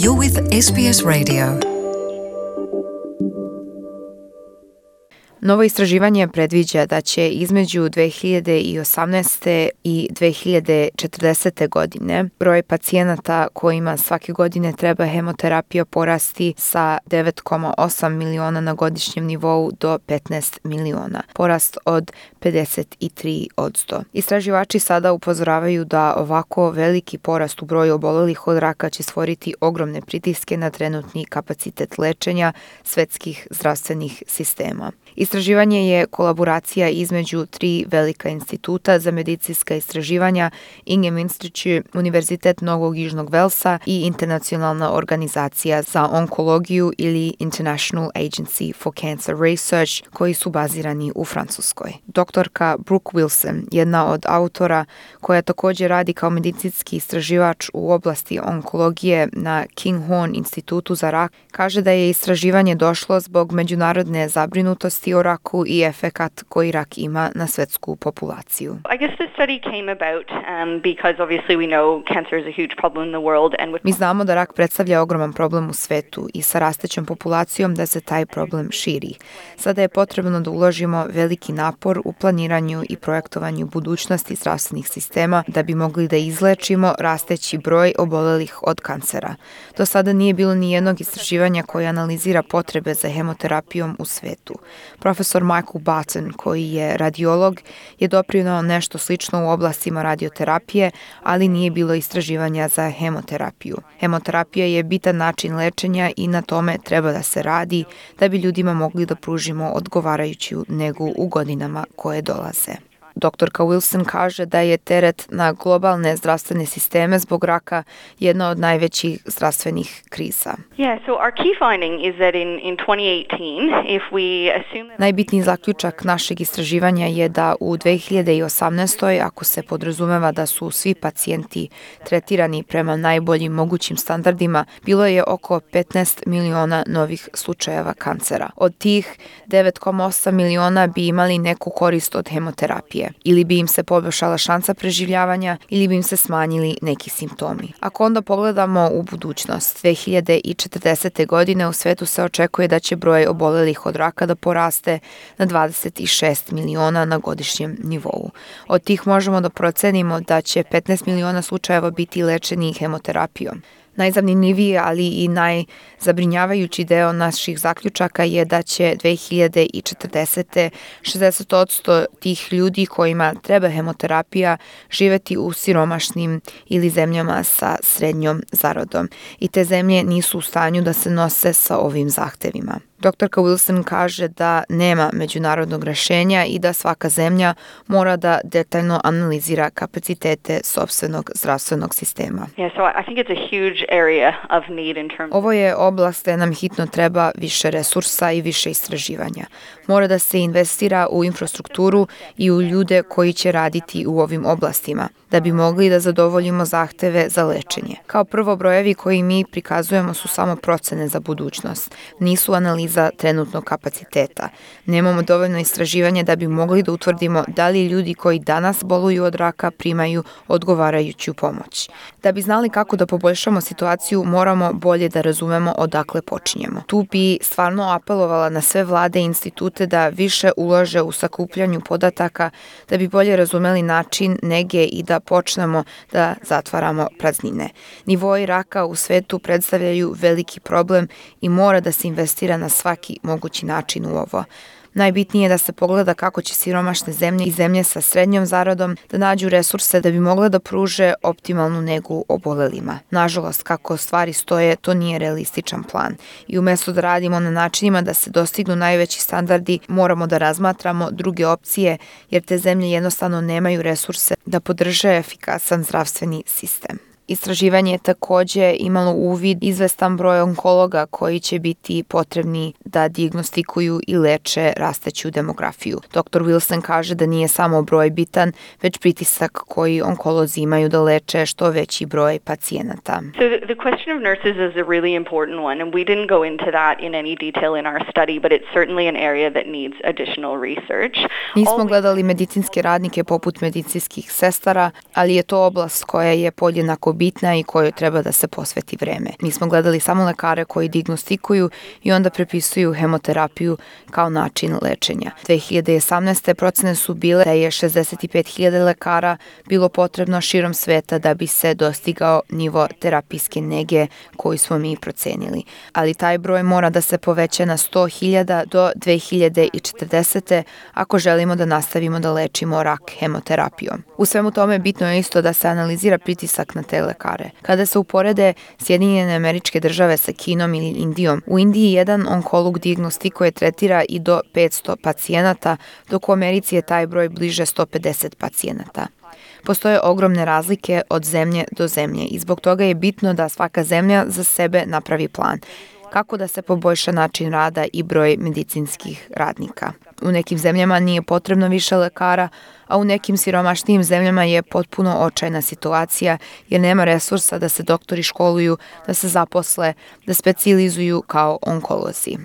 You're with SBS Radio. Novo istraživanje predviđa da će između 2018. i 2040. godine broj pacijenata kojima svake godine treba hemoterapija porasti sa 9,8 miliona na godišnjem nivou do 15 miliona, porast od 53%. Istraživači sada upozoravaju da ovako veliki porast u broju obolelih od raka će stvoriti ogromne pritiske na trenutni kapacitet lečenja svetskih zdravstvenih sistema. Istraživanje je kolaboracija između 3 velika instituta za medicinska istraživanja, Ingham Institute, Univerzitet Novog Južnog Velsa i Internacionalna organizacija za onkologiju ili International Agency for Cancer Research, koji su bazirani u Francuskoj. Doktorka Brooke Wilson, jedna od autora koja također radi kao medicinski istraživač u oblasti onkologije na Kinghorn institutu za rak, kaže da je istraživanje došlo zbog međunarodne zabrinutosti o raku i efekat koji rak ima na svetsku populaciju. I guess this study came about because obviously we know cancer is a huge problem in the world and Mi znamo da rak predstavlja ogroman problem u svetu i sa rastećom populacijom da se taj problem širi. Sada je potrebno da uložimo veliki napor u planiranju i projektovanju budućnosti zdravstvenih sistema da bi mogli da izlečimo rasteći broj obolelih od kancera. Do sada nije bilo ni jednog istraživanja koje analizira potrebe za hemoterapijom u svetu. Profesor Michael Barton, koji je radiolog, je doprineo nešto slično u oblastima radioterapije, ali nije bilo istraživanja za hemoterapiju. Hemoterapija je bitan način lečenja i na tome treba da se radi da bi ljudima mogli da pružimo odgovarajuću negu u godinama koje dolaze. Doktorka Wilson kaže da je teret na globalne zdravstvene sisteme zbog raka jedna od najvećih zdravstvenih kriza. Najbitniji zaključak našeg istraživanja je da u 2018. ako se podrazumeva da su svi pacijenti tretirani prema najboljim mogućim standardima, bilo je oko 15 miliona novih slučajeva kancera. Od tih 9,8 miliona bi imali neku korist od hemoterapije. Ili bi im se poboljšala šansa preživljavanja ili bi im se smanjili neki simptomi. Ako onda pogledamo u budućnost, 2040. godine u svetu se očekuje da će broj obolelih od raka da poraste na 26 miliona na godišnjem nivou. Od tih možemo da procenimo da će 15 miliona slučajeva biti lečeni hemoterapijom. Najzanimljiviji, ali i najzabrinjavajući deo naših zaključaka je da će 2040. 60% tih ljudi kojima treba hemoterapija živeti u siromašnim ili zemljama sa srednjom zaradom i te zemlje nisu u stanju da se nose sa ovim zahtevima. Doktorka Wilson kaže da nema međunarodnog rešenja i da svaka zemlja mora da detaljno analizira kapacitete sopstvenog zdravstvenog sistema. Ovo je oblast gde nam hitno treba više resursa i više istraživanja. Mora da se investira u infrastrukturu i u ljude koji će raditi u ovim oblastima, da bi mogli da zadovoljimo zahteve za lečenje. Kao prvo, brojevi koji mi prikazujemo su samo procene za budućnost, nisu analiza trenutnog kapaciteta. Nemamo dovoljno istraživanja da bi mogli da utvrdimo da li ljudi koji danas boluju od raka primaju odgovarajuću pomoć. Da bi znali kako da poboljšamo situaciju, moramo bolje da razumemo odakle počinjemo. Tu bi stvarno apelovala na sve vlade i institute da više ulože u sakupljanju podataka, da bi bolje razumeli način nege i da počnemo da zatvaramo praznine. Nivoi raka u svetu predstavljaju veliki problem i mora da se investira na svaki mogući način u ovo. Najbitnije je da se pogleda kako će siromašne zemlje i zemlje sa srednjom zaradom da nađu resurse da bi mogle da pruže optimalnu negu obolelima. Nažalost, kako stvari stoje, to nije realističan plan. I umjesto da radimo na načinima da se dostignu najveći standardi, moramo da razmatramo druge opcije, jer te zemlje jednostavno nemaju resurse da podrže efikasan zdravstveni sistem. Istraživanje je također imalo uvid izvestan broj onkologa koji će biti potrebni da dijagnostikuju i leče rasteću demografiju. Dr. Wilson kaže da nije samo broj bitan, već pritisak koji onkolozi imaju da leče što veći broj pacijenata. So the question of nurses is a really important one, and we didn't go into that in any detail in our study, but it's certainly an area that needs additional research. Nismo gledali medicinske radnike poput medicinskih sestara, ali je to oblast koja je podjednako bitna i kojoj treba da se posveti vreme. Mi smo gledali samo lekare koji dijagnostikuju i onda prepisuju hemoterapiju kao način lečenja. 2018. procene su bile da je 65.000 lekara bilo potrebno širom sveta da bi se dostigao nivo terapijske nege koju smo mi procenili. Ali taj broj mora da se poveća na 100.000 do 2040. ako želimo da nastavimo da lečimo rak hemoterapijom. U svemu tome bitno je isto da se analizira pritisak na te lekare. Kada se uporede Sjedinjene Američke Države sa Kinom ili Indijom, u Indiji jedan onkolog dijagnostikuje, tretira i do 500 pacijenata, dok u Americi je taj broj bliže 150 pacijenata. Postoje ogromne razlike od zemlje do zemlje i zbog toga je bitno da svaka zemlja za sebe napravi plan kako da se poboljša način rada i broj medicinskih radnika. U nekim zemljama nije potrebno više lekara, a u nekim siromašnijim zemljama je potpuno očajna situacija jer nema resursa da se doktori školuju, da se zaposle, da specijalizuju kao onkolozi.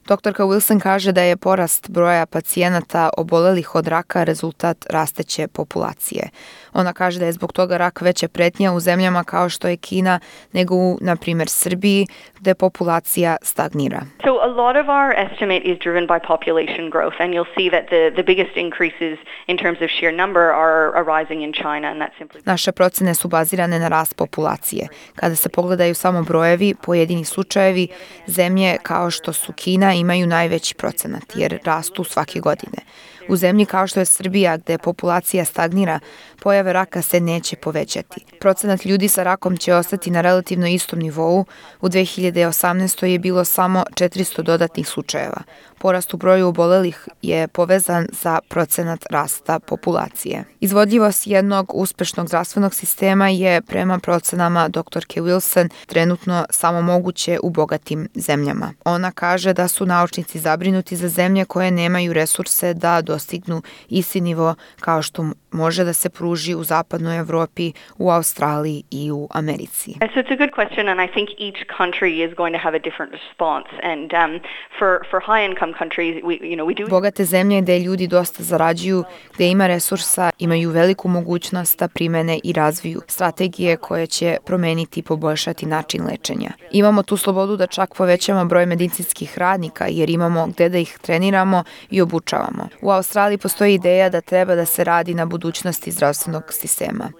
Doktorka Wilson kaže da je porast broja pacijenata obolelih od raka rezultat rasteće populacije. Ona kaže da je zbog toga rak veća pretnja u zemljama kao što je Kina nego u, na primjer, Srbiji, gde populacija stagnira. So a lot of our estimate is driven by population growth, and you'll see that the biggest increases in terms of sheer number are arising in China, and that's simply... Naše procene su bazirane na rast populacije. Kada se pogledaju samo brojevi, pojedini slučajevi, zemlje kao što su Kina imaju najveći procenat jer rastu svake godine. U zemlji kao što je Srbija, gde populacija stagnira, pojave raka se neće povećati. Procenat ljudi sa rakom će ostati na relativno istom nivou. U 2018. je bilo samo 400 dodatnih slučajeva. Porast u broju obolelih je povezan za procenat rasta populacije. Izvodljivost jednog uspešnog zdravstvenog sistema je, prema procenama doktorke Wilson, trenutno samo moguće u bogatim zemljama. Ona kaže da su naučnici zabrinuti za zemlje koje nemaju resurse da dostignu isti nivo kao što može da se pruži u zapadnoj Evropi, u Australiji i u Americi. So it's a good question, and I think each country is going to have a different response. And for high-income countries, we do... Bogate zemlje gde ljudi dosta zarađuju, gde ima resursa, imaju veliku mogućnost da primene i razviju strategije koje će promeniti i poboljšati način lečenja. Imamo tu slobodu da čak povećamo broj medicinskih radnika jer imamo gde da ih treniramo i obučavamo. U Australiji postoji ideja da treba da se radi na budućnosti zdravstvenog sistema.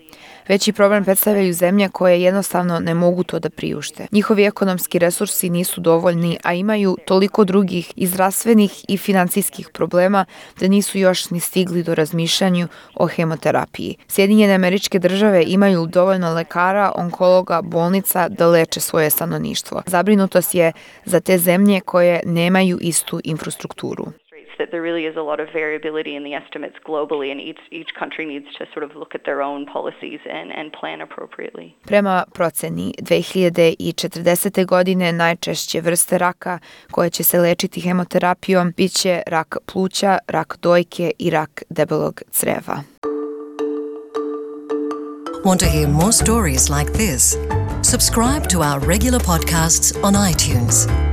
Veći problem predstavljaju zemlje koje jednostavno ne mogu to da priušte. Njihovi ekonomski resursi nisu dovoljni, a imaju toliko drugih i zdravstvenih i finansijskih problema da nisu još ni stigli do razmišljanju o hemoterapiji. Sjedinjene Američke Države imaju dovoljno lekara, onkologa, bolnica da leče svoje stanovništvo. Zabrinutost je za te zemlje koje nemaju istu infrastrukturu. That there really is a lot of variability in the estimates globally, and each country needs to sort of look at their own policies and plan appropriately. Prema proceni, 2040. godine najčešće vrste raka koje će se lečiti hemoterapijom biće rak pluća, rak dojke i rak debelog creva. Want to hear more stories like this? Subscribe to our regular podcasts on iTunes.